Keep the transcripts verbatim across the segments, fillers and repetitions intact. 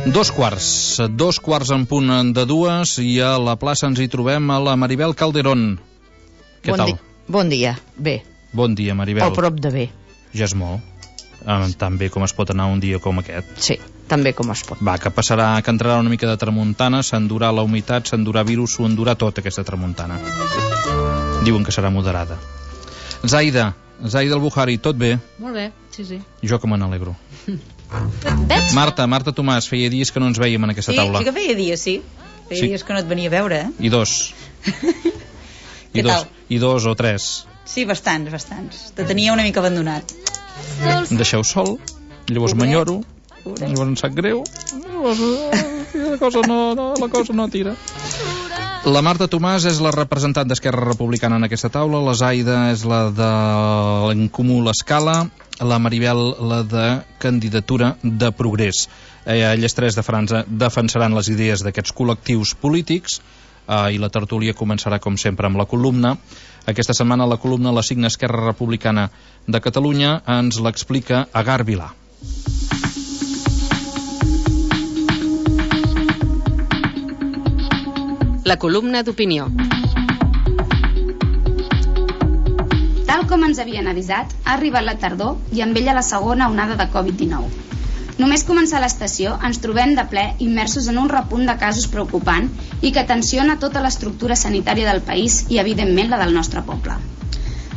Dos quarts, dos quarts en punt de dues i a la plaça ens hi trobem a la Maribel Calderón. Què bon tal? Di bon dia, bé. Bon dia, Maribel. O prop de bé. Ja és molt. Eh, tan bé com es pot anar un dia com aquest. Sí, tan bé com es pot. Va, que passarà, que entrarà una mica de tramuntana, s'endurà la humitat, s'endurà virus, s'ho endurà tot aquesta tramuntana. Diuen que serà moderada. Zaida, Zaida al-Buhari, tot bé? Molt bé, sí, sí. Jo que me n'alegro. Veig? Marta, Marta Tomàs, feia dies que no ens vèiem en aquesta sí, taula. Sí, que feia dies, sí. Feia sí. dies que no et venia a veure, eh? I dos. I Què dos, tal? I dos o tres. Sí, bastants, bastants. Te tenia una mica abandonat. Em deixeu sol, llavors m'enyoro, llavors em sap greu, llavors la cosa no, no, la cosa no tira. La Marta Tomàs és la representant d'Esquerra Republicana en aquesta taula, la Zaida és la de l'En Comú l'Escala, la Maribel la de Candidatura de Progrés. Eh, elles tres de França defensaran les idees d'aquests col·lectius polítics eh, i la tertúlia començarà com sempre amb la columna. Aquesta setmana la columna la signa Esquerra Republicana de Catalunya, ens l'explica Agar Vilà. La columna d'opinió. Tal com ens havien avisat, ha arribat la tardor i amb ella la segona onada de covid dinou. Només començar l'estació ens trobem de ple immersos en un repunt de casos preocupant i que tensiona tota l'estructura sanitària del país i evidentment la del nostre poble.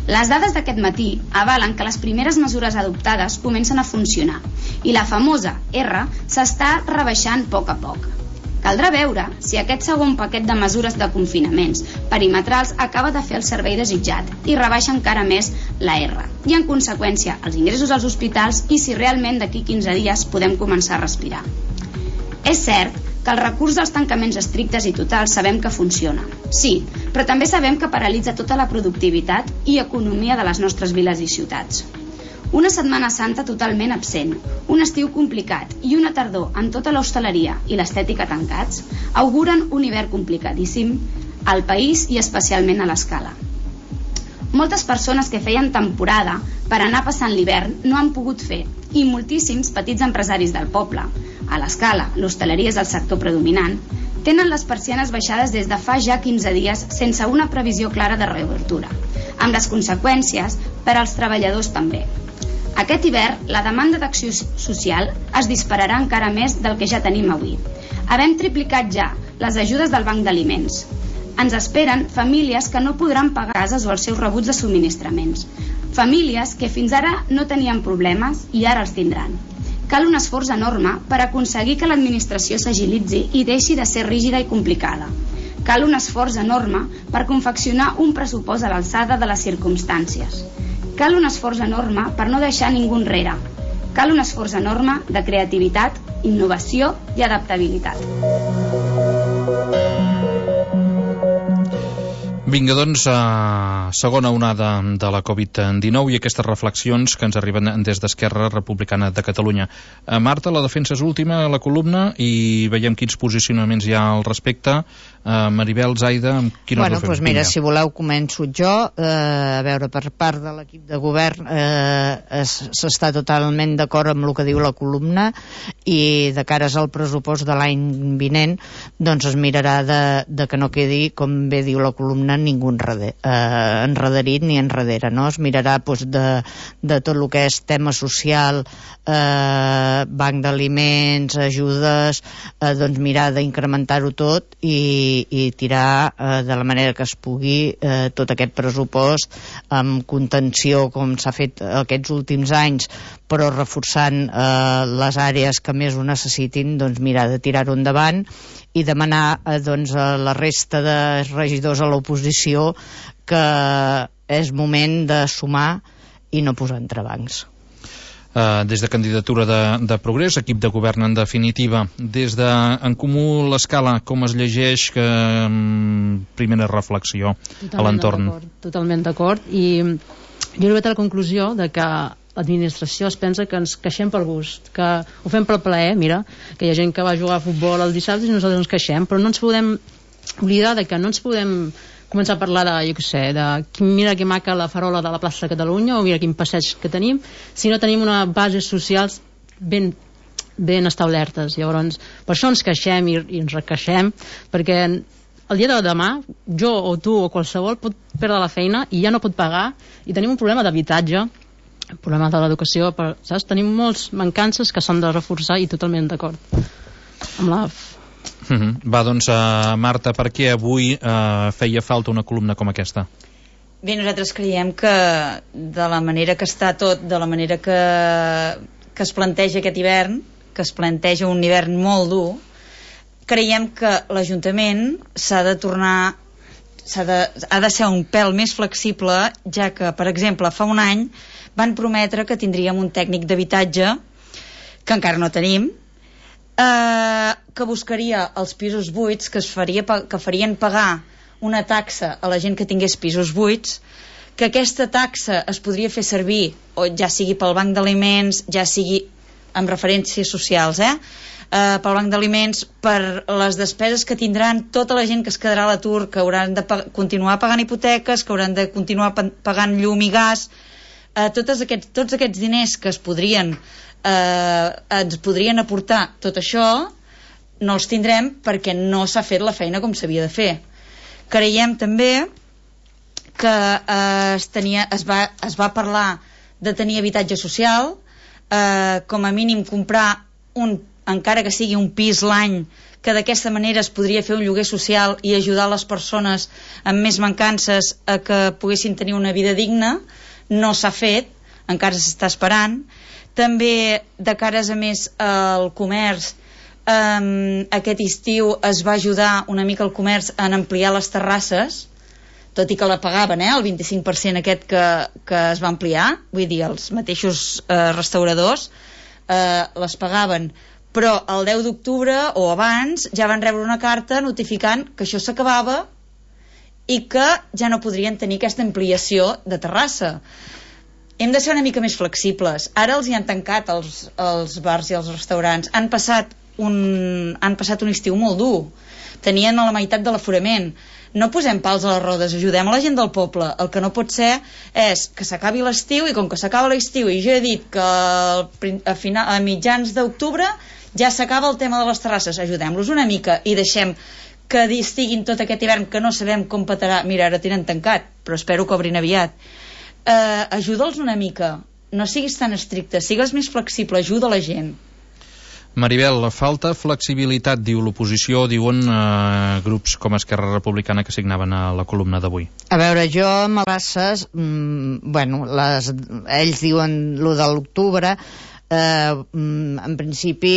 Les dades d'aquest matí avalen que les primeres mesures adoptades comencen a funcionar i la famosa R s'està rebaixant a poc a poc. Caldrà veure si aquest segon paquet de mesures de confinaments perimetrals acaba de fer el servei desitjat i rebaixa encara més la R i en conseqüència els ingressos als hospitals i si realment d'aquí quinze dies podem començar a respirar. És cert que el recurs dels tancaments estrictes i totals sabem que funciona, sí, però també sabem que paralitza tota la productivitat i economia de les nostres viles i ciutats. Una Setmana Santa totalment absent, un estiu complicat i una tardor amb tota l'hostaleria i l'estètica tancats auguren un hivern complicadíssim al país i especialment a l'Escala. Moltes persones que feien temporada per anar passant l'hivern no han pogut fer i moltíssims petits empresaris del poble, a l'Escala, l'hostaleria és el sector predominant, tenen les persianes baixades des de fa ja quinze dies sense una previsió clara de reobertura, amb les conseqüències per als treballadors també. Aquest hivern, la demanda d'acció social es dispararà encara més del que ja tenim avui. Havem triplicat ja les ajudes del Banc d'Aliments. Ens esperen famílies que no podran pagar cases o els seus rebuts de subministraments. Famílies que fins ara no tenien problemes i ara els tindran. Cal un esforç enorme per aconseguir que l'administració s'agilitzi i deixi de ser rígida i complicada. Cal un esforç enorme per confeccionar un pressupost a l'alçada de les circumstàncies. Cal un esforç enorme per no deixar ningú enrere. Cal un esforç enorme de creativitat, innovació i adaptabilitat. Vinga, doncs, a segona onada de la covid dinou i aquestes reflexions que ens arriben des d'Esquerra Republicana de Catalunya. A Marta, la defensa és última a la columna i veiem quins posicionaments hi ha al respecte. A Maribel, Zaida, amb quina bueno, us ho fem? Doncs mira, si voleu començo jo. Eh, a veure, per part de l'equip de govern eh, s'està totalment d'acord amb el que diu la columna i de cares al pressupost de l'any vinent doncs es mirarà de, de que no quedi, com bé diu la columna, ningú enreder, eh, enrederit ni enrere, no? Es mirarà doncs, de, de tot el que és tema social, eh, banc d'aliments, ajudes, eh, doncs mirar d'incrementar-ho tot i, i tirar eh, de la manera que es pugui eh, tot aquest pressupost amb contenció com s'ha fet aquests últims anys, però reforçant eh, les àrees que més ho necessitin, doncs mirar de tirar-ho endavant i demanar eh, doncs, a la resta de regidors a l'oposició que és moment de sumar i no posar entrebancs. Uh, des de Candidatura de, de Progrés, equip de govern en definitiva, des de En Comú l'Escala, com es llegeix que um, primera reflexió totalment a l'entorn? Totalment d'acord, i jo he arribat a la conclusió de que l'administració es pensa que ens queixem pel gust, que ho fem pel plaer. Mira, que hi ha gent que va jugar a futbol el dissabte i nosaltres ens queixem, però no ens podem oblidar de que no ens podem començar a parlar de, jo què sé, de mira que maca la farola de la plaça de Catalunya o mira quin passeig que tenim, si no tenim unes bases socials ben ben establertes. Llavors, per això ens queixem i, i ens requeixem, perquè el dia de demà, jo o tu o qualsevol pot perdre la feina i ja no pot pagar, i tenim un problema d'habitatge, un problema de l'educació, però, saps? Tenim molts mancances que s'han de reforçar i totalment d'acord amb la... Mm-hmm. Va, doncs, uh, Marta, per què avui uh, feia falta una columna com aquesta? Bé, nosaltres creiem que de la manera que està tot, de la manera que, que es planteja aquest hivern, que es planteja un hivern molt dur, creiem que l'Ajuntament s'ha de tornar, s'ha de, ha de ser un pèl més flexible, ja que, per exemple, fa un any van prometre que tindríem un tècnic d'habitatge, que encara no tenim, eh, que buscaria els pisos buits, que, es faria, que farien pagar una taxa a la gent que tingués pisos buits, que aquesta taxa es podria fer servir, o ja sigui pel banc d'aliments, ja sigui amb referències socials, eh? Uh, pel banc d'aliments, per les despeses que tindran tota la gent que es quedarà a l'atur, que hauran de pa- continuar pagant hipoteques, que hauran de continuar pa- pagant llum i gas, uh, tots, aquests, tots aquests diners que es podrien uh, ens podrien aportar tot això, no els tindrem perquè no s'ha fet la feina com s'havia de fer. Creiem també que eh, es, tenia, es, va, es va parlar de tenir habitatge social, eh, com a mínim comprar un, encara que sigui un pis l'any, que d'aquesta manera es podria fer un lloguer social i ajudar les persones amb més mancances a que poguessin tenir una vida digna. No s'ha fet, encara s'està esperant. També, de cares a més al comerç, Um, aquest estiu es va ajudar una mica el comerç en ampliar les terrasses, tot i que la pagaven, eh, el vint-i-cinc per cent aquest que, que es va ampliar, vull dir, els mateixos eh, restauradors eh, les pagaven, però el deu d'octubre o abans ja van rebre una carta notificant que això s'acabava i que ja no podrien tenir aquesta ampliació de terrassa. Hem de ser una mica més flexibles. Ara els hi han tancat els, els bars i els restaurants, han passat Un, han passat un estiu molt dur, tenien a la meitat de l'aforament. No posem pals a les rodes, ajudem a la gent del poble. El que no pot ser és que s'acabi l'estiu, i com que s'acaba l'estiu i jo he dit que a, final, a mitjans d'octubre ja s'acaba el tema de les terrasses, ajudem-los una mica i deixem que estiguin tot aquest hivern, que no sabem com petarà. Mira, ara tenen tancat, però espero que obrin aviat. eh, ajuda'ls una mica, no siguis tan estricte, sigues més flexible, ajuda la gent. Maribel, falta flexibilitat, diu l'oposició, diuen eh, grups com Esquerra Republicana que signaven a la columna d'avui. A veure, jo amb les races, mmm, bueno, les, ells diuen lo de l'octubre, eh, en principi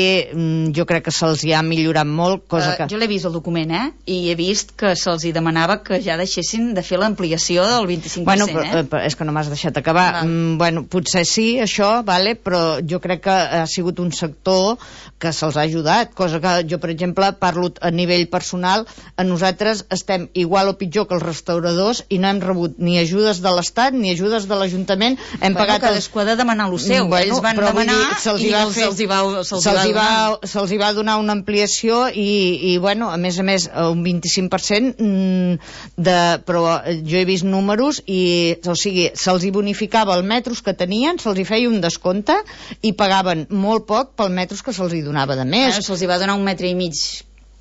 jo crec que se'ls hi ha millorat molt, cosa que... Uh, jo l'he vist el document, eh? I he vist que se'ls hi demanava que ja deixessin de fer l'ampliació del vint-i-cinc per cent, bueno, però, eh? però és que no m'has deixat acabar. Mm, bueno, potser sí, això, vale, però jo crec que ha sigut un sector que se'ls ha ajudat, cosa que jo, per exemple, parlo a nivell personal, a nosaltres estem igual o pitjor que els restauradors i no hem rebut ni ajudes de l'Estat ni ajudes de l'Ajuntament. Hem bueno, pagat... cadascú ha de demanar lo seu. Bueno, ells van demanar dir, se'ls i va els, fer, se'ls hi va, se'ls se'ls hi va, va, se'ls hi va donar una ampliació i, i bueno, a més a més un vint-i-cinc per cent de, però jo he vist números i, o sigui, se'ls hi bonificava els metros que tenien, se'ls hi feia un descompte i pagaven molt poc pel metros que se'ls hi donava de més. Bueno, se'ls hi va donar un metre i mig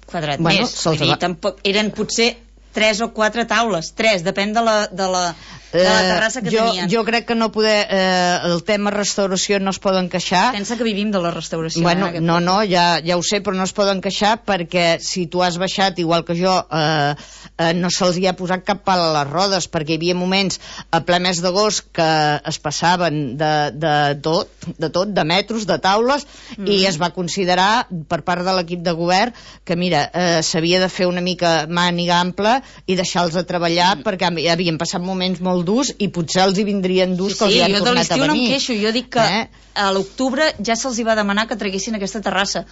quadrat bueno, més. Vull dir, va... tampoc, eren potser tres o quatre taules, tres, depèn de la, de la, de la terrassa que eh, jo, tenien. Jo crec que no poder, eh, el tema restauració no es poden queixar. Pensa que vivim de la restauració. Bueno, eh, no, no, ja, ja ho sé, però no es poden queixar perquè si tu has baixat, igual que jo, eh, eh, no se'ls hi ha posat cap pal a les rodes, perquè hi havia moments a ple mes d'agost que es passaven de, de tot, de tot, de metros, de taules, mm. i es va considerar per part de l'equip de govern que, mira, eh, s'havia de fer una mica màniga ampla i deixar-los a treballar mm. perquè havien passat moments molt durs i potser els hi vindrien durs sí, que els sí, hi han tornat a venir. Sí, jo de l'estiu no em queixo, jo dic que eh? a l'octubre ja se'ls hi va demanar que traguessin aquesta terrassa.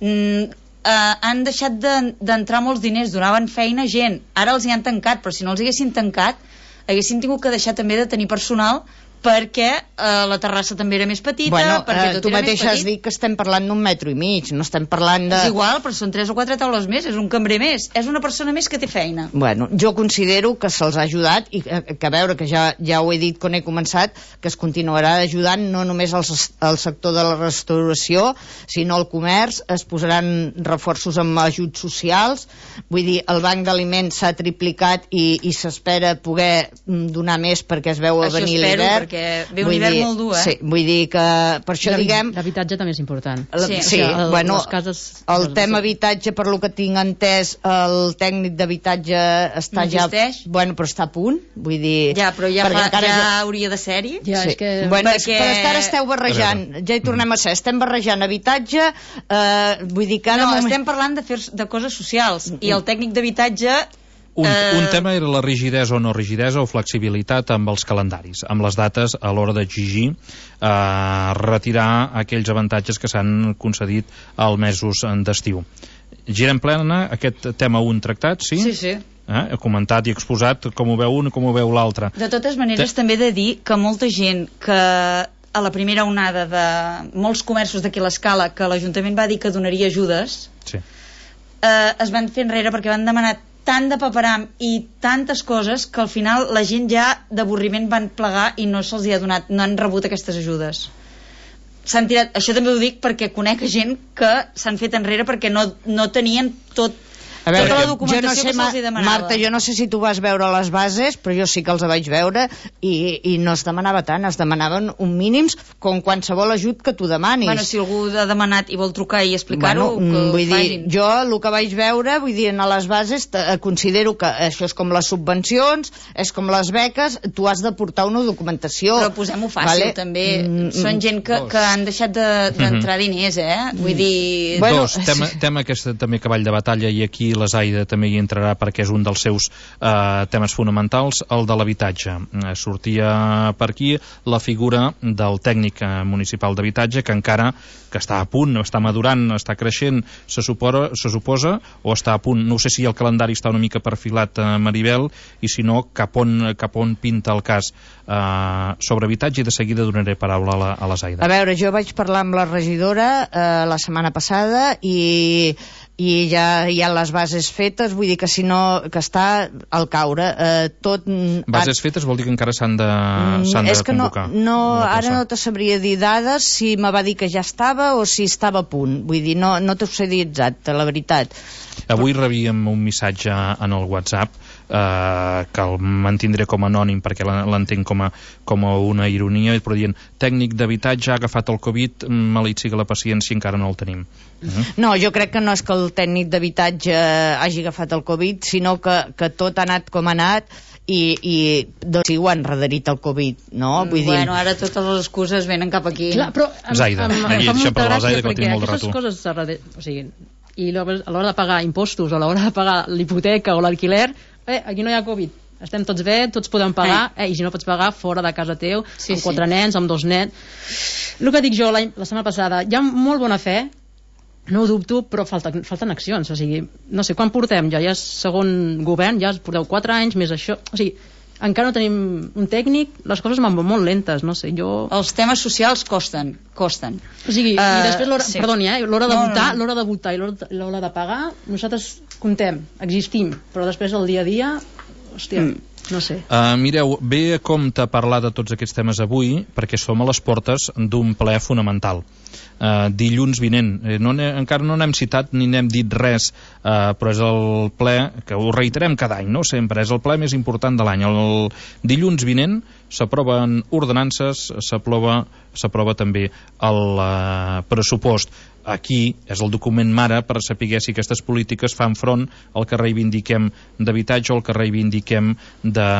Mm, eh, han deixat d'entrar molts diners, donaven feina a gent, ara els hi han tancat, però si no els haguessin tancat haguessin tingut que deixar també de tenir personal perquè eh, la terrassa també era més petita, bueno, perquè eh, tot tu era més mateix has petit. dit que estem parlant d'un metro i mig, no estem parlant de... És igual, però són tres o quatre taules més, és un cambrer més, és una persona més que té feina. Bueno, jo considero que se'ls ha ajudat i que, que a veure, que ja, ja ho he dit quan he començat, que es continuarà ajudant no només al, al sector de la restauració, sinó al comerç, es posaran reforços amb ajuts socials, vull dir, el banc d'aliments s'ha triplicat i, i s'espera poder donar més perquè es veu a Això venir espero, l'hivern. perquè ve un hivern molt dur, eh? Sí, vull dir que per això diguem... L'habitatge també és important. Sí, sí, el, bueno, les cases, el tema habitatge, per lo que tinc entès, el tècnic d'habitatge està no ja... existeix? Bueno, però està a punt, vull dir... Ja, però ja, fa, ja jo... hauria de ser-hi. Ja, sí. és que... Bueno, perquè... però és que ara esteu barrejant, ja hi tornem a ser, estem barrejant habitatge, eh, vull dir que ara... No, moment... estem parlant de, fer, de coses socials, i el tècnic d'habitatge... Un, Eh... un tema era la rigidesa o no rigidesa o flexibilitat amb els calendaris, amb les dates a l'hora d'exigir eh, retirar aquells avantatges que s'han concedit als mesos d'estiu. Girem plena, aquest tema un tractat, sí? Sí, sí. Eh? He comentat i exposat com ho veu un i com ho veu l'altre. De totes maneres, Te... també he de dir que molta gent que a la primera onada de molts comerços d'aquí a l'Escala, que l'Ajuntament va dir que donaria ajudes, sí. eh, es van fer enrere perquè van demanar tant de paperam i tantes coses que al final la gent ja d'avorriment van plegar i no se'ls ha donat, no han rebut aquestes ajudes. S'han tirat, això també ho dic perquè conec gent que s'han fet enrere perquè no, no tenien tot A veure, tota la jo documentació no sé, que se'ls hi demanava. Marta, jo no sé si tu vas veure les bases, però jo sí que els vaig veure i, i no es demanava tant, es demanaven un mínims com qualsevol ajut que tu demanis. Bueno, si algú ha demanat i vol trucar i explicar-ho, bueno, que vull ho dir, facin. jo el que vaig veure, vull dir, a les bases eh, considero que això és com les subvencions, és com les beques, tu has de portar una documentació. Però posem-ho fàcil, vale? també. Mm, Són gent que, que han deixat d'entrar de, diners, eh? Vull dir... Bueno, Dos, tema, tema aquest també cavall de batalla, i aquí la Zaida també hi entrarà perquè és un dels seus eh, temes fonamentals, el de l'habitatge. Eh, sortia per aquí la figura del tècnic eh, municipal d'habitatge, que encara que està a punt, està madurant, està creixent, se suposa, se suposa, o està a punt, no sé si el calendari està una mica perfilat, eh, Maribel, i si no, cap on, cap on pinta el cas eh, sobre habitatge, i de seguida donaré paraula a la, a la Zaida. A veure, jo vaig parlar amb la regidora eh, la setmana passada i i ja hi ha les bases fetes, vull dir que si no, que està al caure eh, tot... Bases fetes vol dir que encara s'han de, s'han de és que convocar. no, no, ara no te sabria dir dades si me va dir que ja estava o si estava a punt, vull dir, no, no t'ho sé dir exacte, la veritat. Avui rebíem un missatge en el WhatsApp eh, que el mantindré com a anònim perquè l'entenc com a, com a una ironia, però dient, tècnic d'habitatge ha agafat el Covid, maleït siga la paciència, encara no el tenim. Uh-huh. No, jo crec que no és que el tècnic d'habitatge hagi agafat el Covid, sinó que, que tot ha anat com ha anat i, i doncs sí, ho han redherit el Covid, no? Vull bueno, dir... ara totes les excuses venen cap aquí. Clar, però em, Zaida, em, em, aquí, em fa deixem molta parlar la gràcia Zaida, que la perquè tinc molt de aquestes rato. coses a darrere, o sigui, i a l'hora de pagar impostos o a l'hora de pagar l'hipoteca o l'alquiler, eh, aquí no hi ha Covid, estem tots bé, tots podem pagar, eh, i si no pots pagar fora de casa teu, Sí, amb quatre sí. nens, amb dos nens. El que dic jo la, la setmana passada, hi ha molt bona fe, no ho dubto, però falten, falten accions, o sigui, no sé, quan portem ja, ja és segon govern, ja porteu quatre anys, més això, o sigui, encara no tenim un tècnic, les coses van molt lentes, no sé, jo... Els temes socials costen, costen. O sigui, uh, i després l'hora, sí. perdoni, eh, l'hora de No, votar, no, no. l'hora de votar i l'hora de, l'hora de pagar, nosaltres comptem, existim, però després el dia a dia, hòstia, mm. no sé. Uh, mireu, ve a compte parlar de tots aquests temes avui perquè som a les portes d'un ple fonamental. Uh, dilluns vinent, eh, no encara no n'hem citat ni n'hem dit res, uh, però és el ple que ho reiterem cada any, no? Sempre és el ple més important de l'any. El dilluns vinent s'aproven ordenances, s'aprova s'aprova també el uh, pressupost. Aquí és el document mare per saber si aquestes polítiques fan front al que reivindiquem d'habitatge o al que reivindiquem de,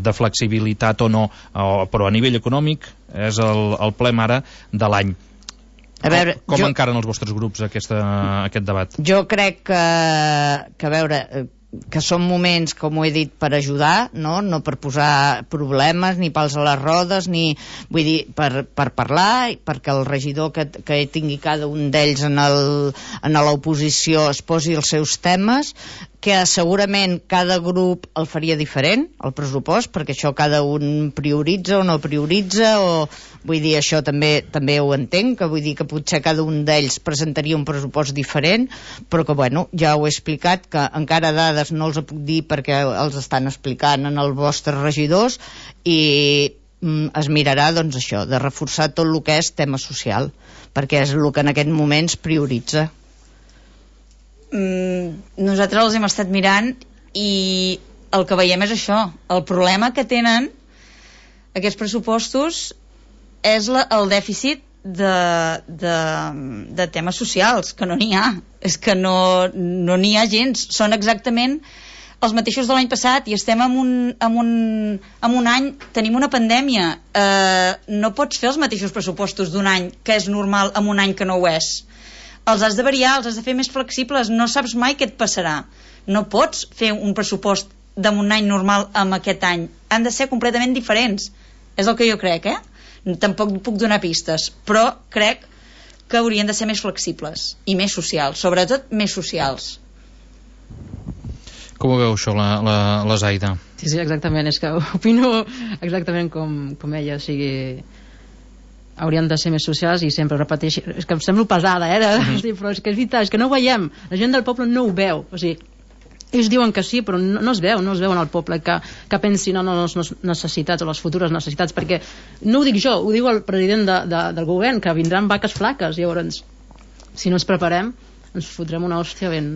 de flexibilitat o no, o, però a nivell econòmic és el, el ple mare de l'any. A veure, com com jo, encaren els vostres grups aquesta, aquest debat? jo crec que, que a veure, que són moments, com ho he dit, per ajudar, no, no per posar problemes ni pals a les rodes, ni, vull dir, per, per parlar, perquè el regidor que, que tingui cada un d'ells en el, en l'oposició es posi els seus temes, que segurament cada grup el faria diferent, el pressupost, perquè això cada un prioritza o no prioritza, o vull dir, això també també ho entenc, que vull dir que potser cada un d'ells presentaria un pressupost diferent, però que, bueno, ja ho he explicat, que encara dades no els puc dir perquè els estan explicant en els vostres regidors, i mm, es mirarà, doncs, això, de reforçar tot el que és tema social, perquè és el que en aquest moment es prioritza. Mm, nosaltres els hem estat mirant i el que veiem és això. El problema que tenen aquests pressupostos és la, el dèficit de, de, de temes socials, que no n'hi ha. És que no no n'hi ha gens. Són exactament els mateixos de l'any passat i estem en un, en un, en un any, tenim una pandèmia. Eh, no pots fer els mateixos pressupostos d'un any que és normal en un any que no ho és. Els has de variar, els has de fer més flexibles, no saps mai què et passarà. No pots fer un pressupost d'un any normal amb aquest any. Han de ser completament diferents. És el que jo crec, eh? Tampoc puc donar pistes, però crec que haurien de ser més flexibles i més socials, sobretot més socials. Com ho veu això, la, la, la Zaida? Sí, sí, exactament, és que opino exactament com, com ella, o sigui, haurien de ser més socials i sempre repeteixo, és que em sembla pesada, eh? Mm-hmm. Sí, però és que és veritat, és que no ho veiem, la gent del poble no ho veu, o sigui, ells diuen que sí, però no, no es veu, no es veu en el poble que, que pensin en les necessitats o les futures necessitats, perquè no ho dic jo, ho diu el president de, de, del govern, que vindran vaques flaques, llavors, si no ens preparem, ens fotrem una hòstia ben...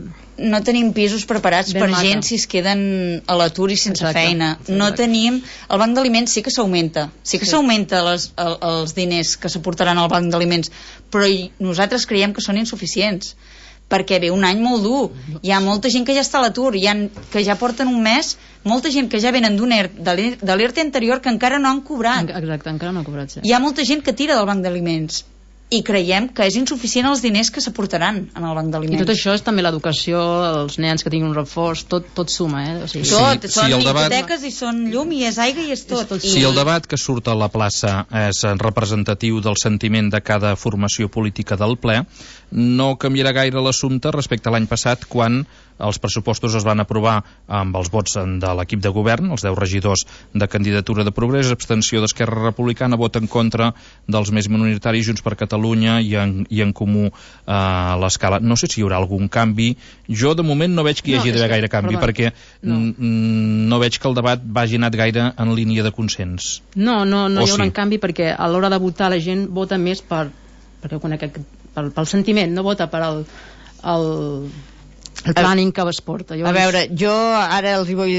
No tenim pisos preparats per mata. gent si es queden a l'atur i sense Exacte. feina. No Exacte. tenim... El banc d'aliments sí que s'augmenta. Sí que Sí. s'augmenta les, el, els diners que s'aportaran al banc d'aliments, però hi, nosaltres creiem que són insuficients, perquè ve un any molt dur. Hi ha molta gent que ja està a l'atur, hi ha, que ja porten un mes, molta gent que ja venen d'un E R T, de l'E R T anterior, que encara no han cobrat. Exacte, encara no ha cobrat. Sí. Hi ha molta gent que tira del banc d'aliments. I creiem que és insuficient els diners que s'aportaran en el banc d'aliments. I tot això és també l'educació, els nens que tinguin un reforç, tot, tot suma, eh? O sigui, tot, Sí, són sí, el debat- hipoteques i són llum i és aigua i és tot. És tot. I... Si el debat que surt a la plaça és representatiu del sentiment de cada formació política del ple, no canviarà gaire l'assumpte respecte a l'any passat, quan els pressupostos es van aprovar amb els vots de l'equip de govern, els deu regidors de Candidatura de Progrés, abstenció d'Esquerra Republicana, vot en contra dels més minoritaris, Junts per Catalunya i en, i en Comú a l'escala. No sé si hi haurà algun canvi. Jo, de moment, no veig que hi hagi No, d'haver és que- gaire canvi, perdó. perquè No. mm, no veig que el debat vagi anat gaire en línia de consens. No, no, no O hi haurà sí? un canvi, perquè a l'hora de votar la gent vota més per, perquè ho conec, pel, pel sentiment, no vota per el, el, el planning que es porta. A veure, jo ara els hi vull...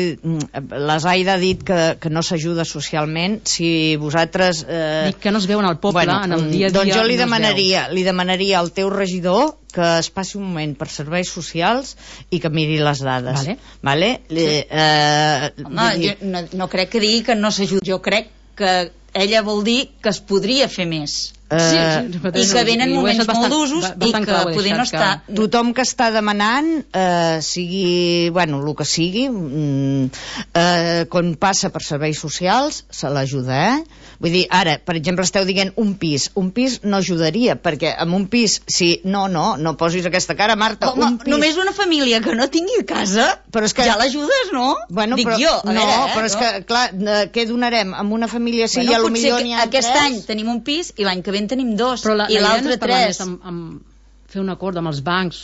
La Zaida ha dit que, que no s'ajuda socialment. Si vosaltres... Eh... Dic que no es veu en el poble, bueno, en el dia a dia. doncs jo li no es demanaria, li demanaria al teu regidor que es passi un moment per serveis socials i que miri les dades. Vale. Vale? Li, eh, Home, vull dir- jo no, no crec que digui que no s'ajuda. Jo crec que ella vol dir que es podria fer més. Eh, Sí, I que venen moments molt d'usos i que poder no està... tothom que està demanant, eh, sigui, bueno, el que sigui, mm, eh, quan passa per serveis socials, se l'ajuda, eh? Vull dir, ara, per exemple, esteu dient un pis. Un pis no ajudaria, perquè amb un pis, si... No, no, no posis aquesta cara, Marta. Home, un pis... només una família que no tingui casa, Però és que- ja l'ajudes, no? Bueno, Dic però, jo, a no, veure, eh? però és que, clar, eh, què donarem amb una família si Bueno, ja potser potser que n'hi ha aquest tres? any tenim un pis i l'any que ve en tenim dos, Però la, i la idea no l'altre és parlar tres. més amb, amb fer un acord amb els bancs,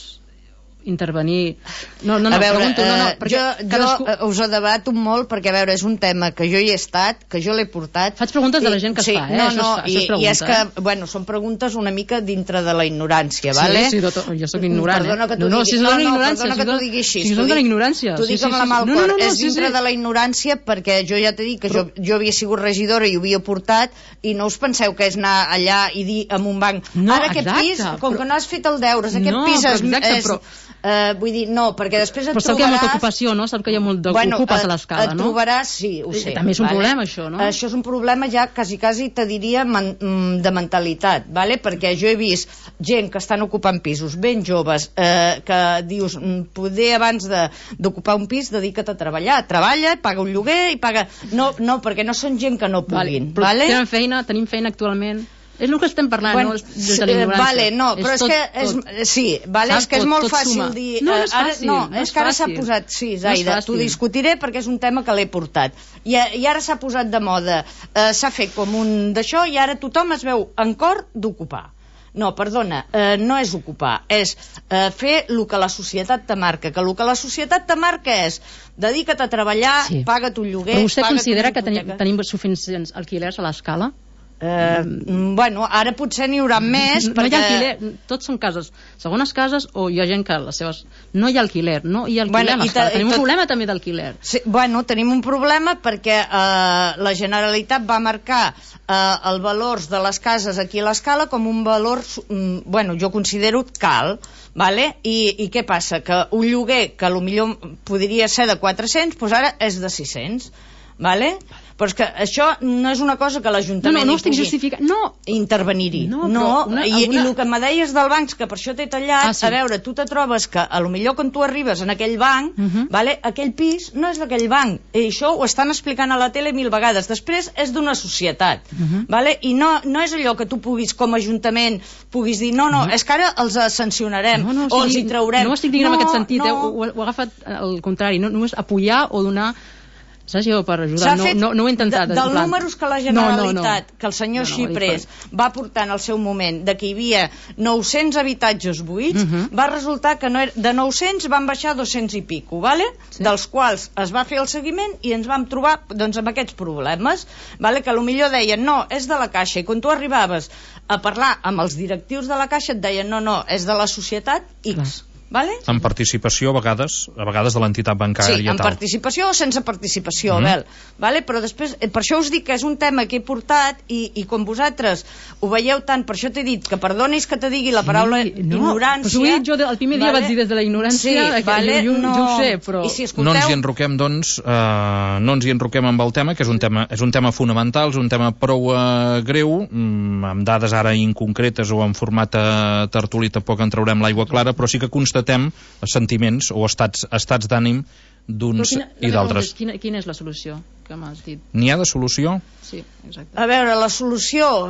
intervenir... No, no, no, a veure, pregunto, no, no, eh, perquè jo, jo cadascú... eh, us ho debato molt, perquè a veure, és un tema que jo hi he estat, que jo l'he portat. Faig preguntes de la gent que es sí, fa, eh? No, Això no, es fa, això i, es pregunta, i és que, eh? bueno, són preguntes una mica dintre de la ignorància, Sí, vale? sí, tot, jo sóc ignorant, Perdona eh? que t'ho No, no, digui, si és no, de la no, ignorància, perdona si que és t'ho de- digui així. si és t'ho de la dic- ignorància. T'ho Sí, dic sí, amb sí, la mà al sí. No, cor. no, no, és sí, dintre sí. de la ignorància, perquè jo ja t'he dit que jo, jo havia sigut regidora i ho havia portat, i no us penseu que és anar allà i dir amb un banc, No, ara aquest exacte, pis, com però- que no has fet el deures, aquest No, pis però és... exacte, és però- eh, vull dir, no, perquè després et Però sap que hi ha molta trobaràs... ocupació, no? Sap que hi ha molt d'ocupes Bueno, a et- l'escala, et no? trobaràs, sí, ho sé. També és un problema, això, no? Això és un problema ja, quasi, quasi, te diria, man, mm, de mentalitat, vale? Perquè jo he vist gent que estan ocupant pisos ben joves, eh, que dius, mm, poder abans de- d'ocupar un pis, dedica't a treballar. Treballa, paga un lloguer i paga... No, no, perquè no són gent que no Vale, puguin, però vale? tenen feina, tenim feina actualment. És el que estem parlant, bueno, no? Des de la ignorància. Vale, no, però és, és tot, que... És, tot. sí, vale, Saps? és que és tot, molt tot fàcil suma. dir... No, no és ara, fàcil. no, no és que ara s'ha fàcil. posat... Sí, No Zaida, és t'ho fàcil. discutiré perquè és un tema que l'he portat. I, I ara s'ha posat de moda. Eh, s'ha fet com un d'això i ara tothom es veu en cor d'ocupar. No, perdona, eh, no és ocupar, és eh, fer el que la societat te marca, que el que la societat te marca és dedica't a treballar, Sí. paga't un lloguer... Però vostè paga't considera una que tenim, hipoteca. tenim suficients alquilers a l'escala? Eh, bueno, ara potser n'hi haurà més No perquè... hi ha alquiler, tots són cases, segones cases, o hi ha gent que les seves... No hi ha alquiler, no hi ha alquiler Bueno, a i l'escala. ta- i Tenim un tot- problema també d'alquiler. Sí, bueno, tenim un problema perquè eh, la Generalitat va marcar eh, el valor de les cases aquí a l'escala com un valor, mm, bueno, jo considero cal, vale? I, i què passa? Que un lloguer que potser podria ser de quatre-cents, doncs ara és de sis-cents, vale? Però és que això no és una cosa que No, l'Ajuntament no, no hi estic pugui justificant. No, intervenir-hi. No, No, però una- I, alguna- i el que me deies del banc, que per això t'he tallat, Ah, sí. a veure, tu te trobes que a lo millor quan tu arribes en aquell banc, Uh -huh. vale, aquell pis no és d'aquell banc, i això ho estan explicant a la tele mil vegades. Després és d'una societat, Uh -huh. vale? I no, no és allò que tu puguis com a ajuntament puguis dir, no, no, Uh -huh. és que ara els eh, sancionarem no, no, o els estic- hi traurem. No ho estic dient no, en aquest sentit, no. eh? ho, ho, ho he agafat al contrari, no només apoyar o donar... Saps, jo per S'ha ajudar, no, fet no, no ho he intentat. de, dels en plan- números que la Generalitat, no, no, no. que el senyor No, no, Xipres va portar en el seu moment, de que hi havia nou-cents habitatges buits, Uh -huh. va resultar que no era, de nou-cents van baixar a dos-cents i pico, vale? Sí. Dels quals es va fer el seguiment i ens vam trobar doncs, amb aquests problemes, vale? Que potser deien, no, és de la Caixa, i quan tu arribaves a parlar amb els directius de la Caixa et deien, no, no, és de la societat X. Clar. Vale? Amb participació, a vegades, a vegades de l'entitat bancària. Sí, amb tal. participació o sense participació, Mm. Abel. Vale? Però després, eh, per això us dic que és un tema que he portat i, i com vosaltres ho veieu tant, per això t'he dit que perdonis que te digui la paraula Sí, no, ignorància. Pues ho he dit jo, el primer dia vale? vaig dir des de la ignorància, sí, que vale? jo, jo, no. jo ho sé, però... I si No escolteu... ens hi enroquem, doncs, eh, no ens hi enroquem amb el tema, que és un tema, és un tema fonamental, és un tema prou eh, greu, mm, amb dades ara inconcretes o en format eh, tertulí tampoc en traurem l'aigua clara, però sí que constatem sentiments o estats, estats d'ànim d'uns Però quina, i d'altres. Quina, quina és la solució que m'has dit? N'hi ha de solució? Sí, exacte. A veure, la solució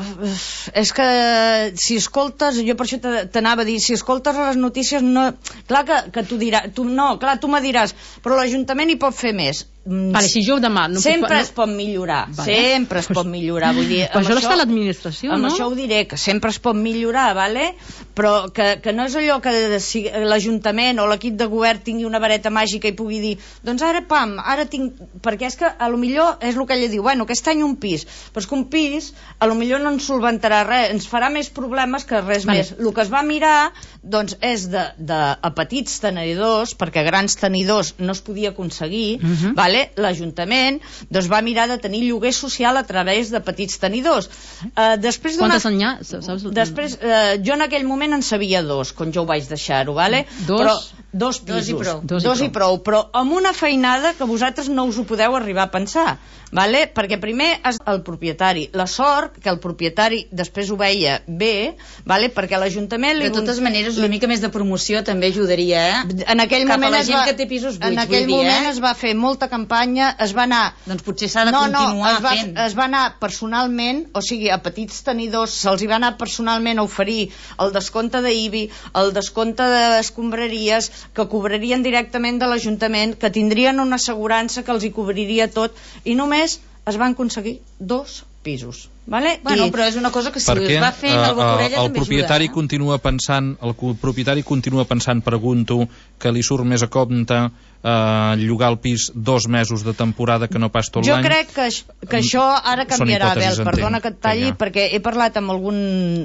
és que si escoltes, jo per això te- t'anava a dir, si escoltes les notícies, no, clar que, que tu diràs, tu, no, clar, tu me diràs, però l'Ajuntament hi pot fer més. Mm, Vale, si jo demà... No sempre puc, es pot millorar, Vale. sempre es pot millorar, vull dir, Però amb això està a l'administració, amb no? això ho diré, que sempre es pot millorar, vale? Però que, que no és allò que si l'Ajuntament o l'equip de govern tingui una vareta màgica i pugui dir, doncs ara, pam, ara tinc... Perquè és que a lo millor és el que ella diu, bueno, aquest any un pis, però és que un pis a lo millor no ens solventarà res, ens farà més problemes que res Vale. més. El que es va mirar, doncs, és de, de a petits tenidors, perquè grans tenidors no es podia aconseguir, Uh -huh. vale? L'Ajuntament doncs va mirar de tenir lloguer social a través de petits tenidors. Uh, després d'una... Quantes en hi ha? Saps? Després, uh, jo en aquell moment en sabia dos, quan jo ho vaig deixar-ho, vale? Dos? Però, dos pisos. Dos i prou. Dos Dos, i i prou, però amb una feinada que vosaltres no us ho podeu arribar a pensar, vale? Perquè primer és el propietari. La sort que el propietari després ho veia bé, vale? Perquè l'Ajuntament... De totes maneres, una mica més de promoció també ajudaria, eh? En aquell Cap a moment la es gent va, que té pisos buits, en aquell vull dir, moment eh? es va fer molta campanya, es va anar... Doncs potser s'ha de no, continuar no, es va, fent. es va anar personalment, o sigui, a petits tenidors se'ls hi va anar personalment a oferir el descompte d'I B I, el descompte d'escombraries, que cobrarien directament de l'Ajuntament, que tindrien una assegurança que els hi cobriria tot, i només es van aconseguir dos pisos. Vale? Bueno, I, però és una cosa que si Perquè es va fent eh, el Bocorella el també propietari ajuda. Eh? continua pensant, el co- propietari continua pensant, pregunto, que li surt més a compte eh, llogar el pis dos mesos de temporada que no pas tot jo l'any. crec que, aix- que això ara Són canviarà, hipòtesis, Abel, perdona entenc, que et talli, vinga. perquè he parlat amb algun,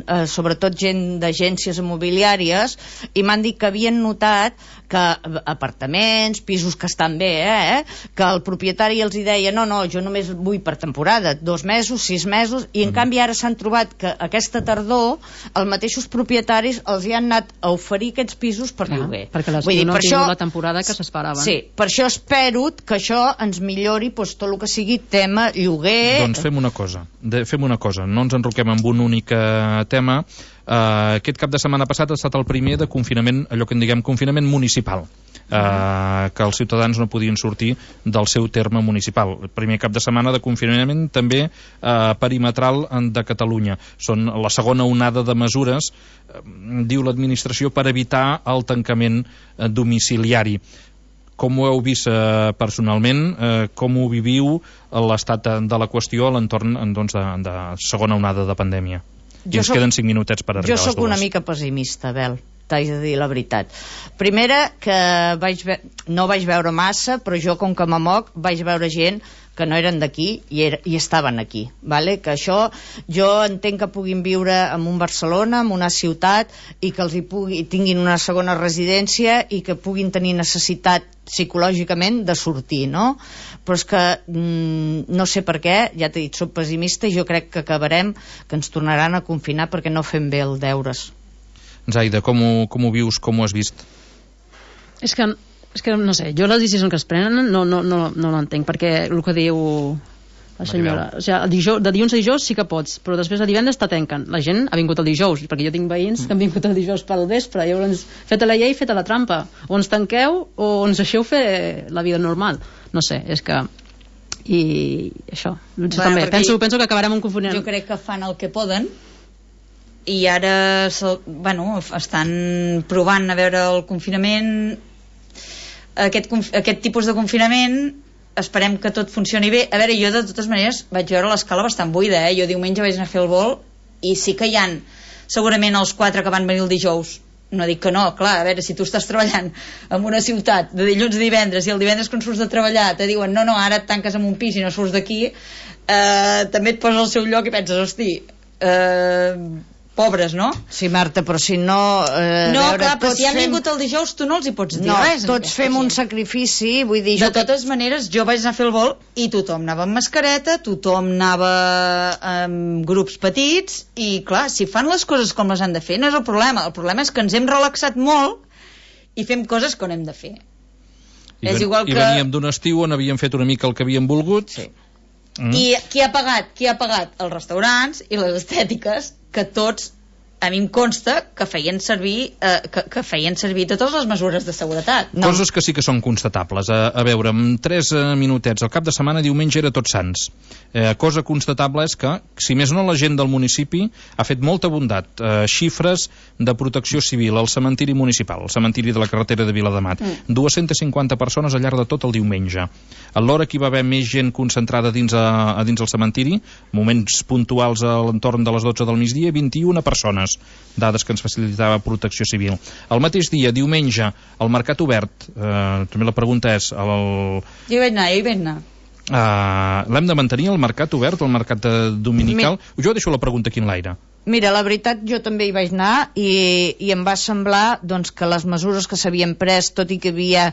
eh, sobretot gent d'agències immobiliàries, i m'han dit que havien notat que apartaments, pisos que estan bé, eh, que el propietari els hi deia, no, no, jo només vull per temporada, dos mesos, sis mesos, i en Mm. canvi ara s'han trobat que aquesta tardor els mateixos propietaris els hi han anat a oferir aquests pisos per Clar, lloguer. perquè les Vull dir, no per han tingut això- la temporada que s'esperaven. Sí, per això espero que això ens millori doncs, tot el que sigui tema lloguer. Doncs fem una cosa, de, fem una cosa, no ens enroquem amb un únic eh, tema. Uh, aquest cap de setmana passat ha estat el primer de confinament, allò que en diguem confinament municipal. eh, que els ciutadans no podien sortir del seu terme municipal. El primer cap de setmana de confinament també eh, perimetral de Catalunya. Són la segona onada de mesures, eh, diu l'administració, per evitar el tancament eh, domiciliari. Com ho heu vist eh, personalment? Eh, com ho viviu l'estat de la qüestió a l'entorn doncs, de, de segona onada de pandèmia? I jo ens soc, queden cinc minutets per arribar a les dues. Jo sóc una mica pessimista, Bel, t'haig de dir la veritat. Primera, que vaig ve no vaig veure massa, però jo, com que m'amoc, vaig veure gent que no eren d'aquí i, era, i estaven aquí, vale? Que això jo entenc que puguin viure en un Barcelona, en una ciutat, i que els hi pugui, tinguin una segona residència i que puguin tenir necessitat psicològicament de sortir, no? Però és que mm, no sé per què, ja t'he dit, soc pessimista i jo crec que acabarem, que ens tornaran a confinar perquè no fem bé els deures. Zaida, com ho, com ho vius, com ho has vist? És que És que, no sé, jo les decisions que es prenen no, no, no, no l'entenc, perquè el que diu la senyora, o sigui, dijous, de dilluns a dijous sí que pots, però després a divendres te tanquen. La gent ha vingut el dijous, perquè jo tinc veïns mm. que han vingut el dijous pel vespre, llavors feta la llei, feta la trampa, o ens tanqueu o ens deixeu fer la vida normal. No sé, és que i això, bueno, també penso, penso que acabarem un confonent. Jo crec que fan el que poden i ara bueno, estan provant a veure el confinament. Aquest, aquest tipus de confinament esperem que tot funcioni bé. A veure, jo de totes maneres vaig veure l'escala bastant buida, eh? Jo diumenge vaig anar a fer el vol i sí que hi han segurament els quatre que van venir el dijous. No dic que no, clar, a veure, si tu estàs treballant en una ciutat de dilluns a divendres i el divendres quan surts de treballar te diuen no, no, ara et tanques en un pis i no surts d'aquí, eh, també et poses al seu lloc i penses, hosti, eh, pobres, no? Sí, Marta, però si no... Eh, no, veure, clar, però si han fem... vingut el dijous tu no els hi pots dir no, res. No, tots fem un sacrifici, vull dir... De totes maneres, jo vaig anar a fer el vol i tothom anava amb mascareta, tothom anava amb grups petits i, clar, si fan les coses com les han de fer, no és el problema. El problema és que ens hem relaxat molt i fem coses que no hem de fer. I, és ven, igual que... I veníem d'un estiu on havíem fet una mica el que havíem volgut. Sí. Mm. I qui ha pagat? Qui ha pagat? Els restaurants i les estètiques, que tots, a mi em consta que feien servir eh, que, que feien servir totes les mesures de seguretat. No. Coses que sí que són constatables. A, a veure, en tres eh, minutets, el cap de setmana, diumenge era Tots Sants. Eh, cosa constatable és que, si més no, la gent del municipi ha fet molta bondat. Eh, xifres de protecció civil al cementiri municipal, al cementiri de la carretera de Viladamat. Mm. dues-centes cinquanta persones al llarg de tot el diumenge. A l'hora que hi va haver més gent concentrada dins, a, a dins el cementiri, moments puntuals a l'entorn de les dotze del migdia, vint-i-una persones. Dades que ens facilitava Protecció Civil. El mateix dia, diumenge, al Mercat Obert, eh, també la pregunta és... El... Jo hi vaig anar, jo hi vaig anar. Uh, l'hem de mantenir el mercat obert, el mercat dominical? Mi... Jo deixo la pregunta aquí en l'aire. Mira, la veritat, jo també hi vaig anar i, i em va semblar doncs, que les mesures que s'havien pres, tot i que hi havia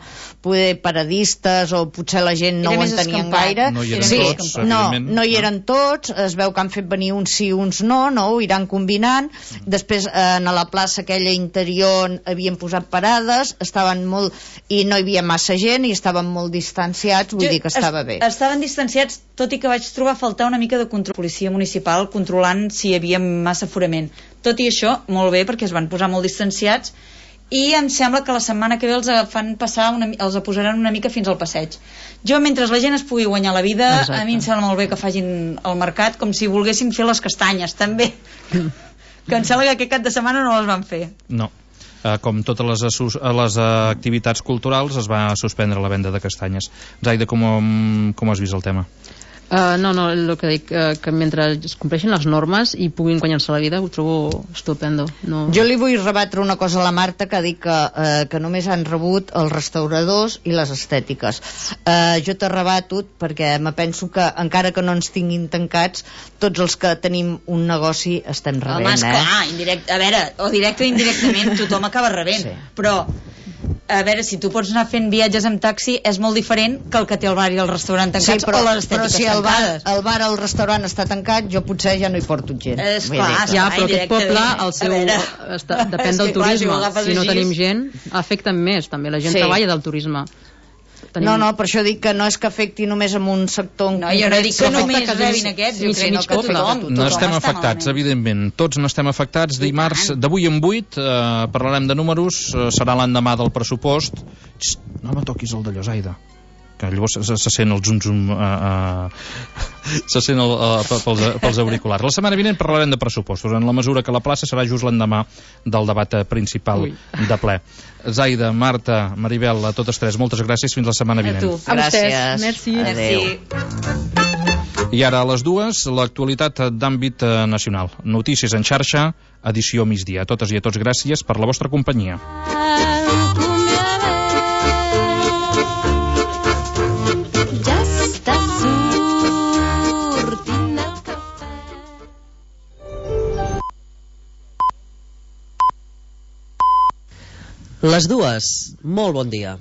poder paradistes o potser la gent no ho entenien gaire, no hi eren sí, tots, no, no hi eren tots, es veu que han fet venir uns sí, uns no, no, ho iran combinant. Després en la plaça aquella interior havien posat parades, estaven molt, i no hi havia massa gent i estaven molt distanciats, vull jo, dir que estava est bé. Estaven distanciats, tot i que vaig trobar a faltar una mica de control. Policia municipal controlant si hi havia massa aforament. Tot i això, molt bé, perquè es van posar molt distanciats i em sembla que la setmana que ve els fan passar una, els posaran una mica fins al passeig. Jo, mentre la gent es pugui guanyar la vida, exacte, a mi em sembla molt bé que facin el mercat com si volguessin fer les castanyes, també. Que em sembla que aquest cap de setmana no les van fer. No. Uh, com totes les, les uh, activitats culturals, es va suspendre la venda de castanyes. Zaida, com, com has vist el tema? Uh, no, no, el que dic, uh, que mentre es compleixin les normes i puguin guanyar-se la vida, ho trobo estupendo. No... Jo li vull rebatre una cosa a la Marta, que ha dit que, uh, que només han rebut els restauradors i les estètiques. Uh, jo t'he rebatut perquè me penso que encara que no ens tinguin tancats, tots els que tenim un negoci estem rebent. Home, esclar, eh? Indirect, a veure, o directe o indirectament tothom acaba rebent, sí. Però a veure, si tu pots anar fent viatges amb taxi és molt diferent que el que té el bar i el restaurant tancats, sí, però, o les estètiques però si el bar, tancades. el bar o el restaurant està tancat, jo potser ja no hi porto gent. És clar, ja, però aquest poble el seu, està, depèn del turisme. Clar, si, si no tenim gent, afecta més també, la gent sí. treballa del turisme. tenim... No, no, per això dic que no és que afecti només en un sector... No, jo no dic que només rebin aquests, jo crec que tothom. No estem afectats, evidentment. Tots n'estem afectats. Dimarts, d'avui en vuit, eh, parlarem de números, eh, serà l'endemà del pressupost. Xxt, no me toquis el d'allò, Zaida, que llavors se, se sent el zum-zum uh, uh, se sent el, uh, pels, pels auriculars. La setmana vinent parlarem de pressupostos, en la mesura que la plaça serà just l'endemà del debat principal Ui. de ple. Zaida, Marta, Maribel, a totes tres, moltes gràcies, fins la setmana vinent. A tu. A vostès. Merci. Adéu. I ara a les dues, l'actualitat d'àmbit nacional. Notícies en xarxa, edició migdia. A totes i a tots, gràcies per la vostra companyia. Les dues, molt bon dia.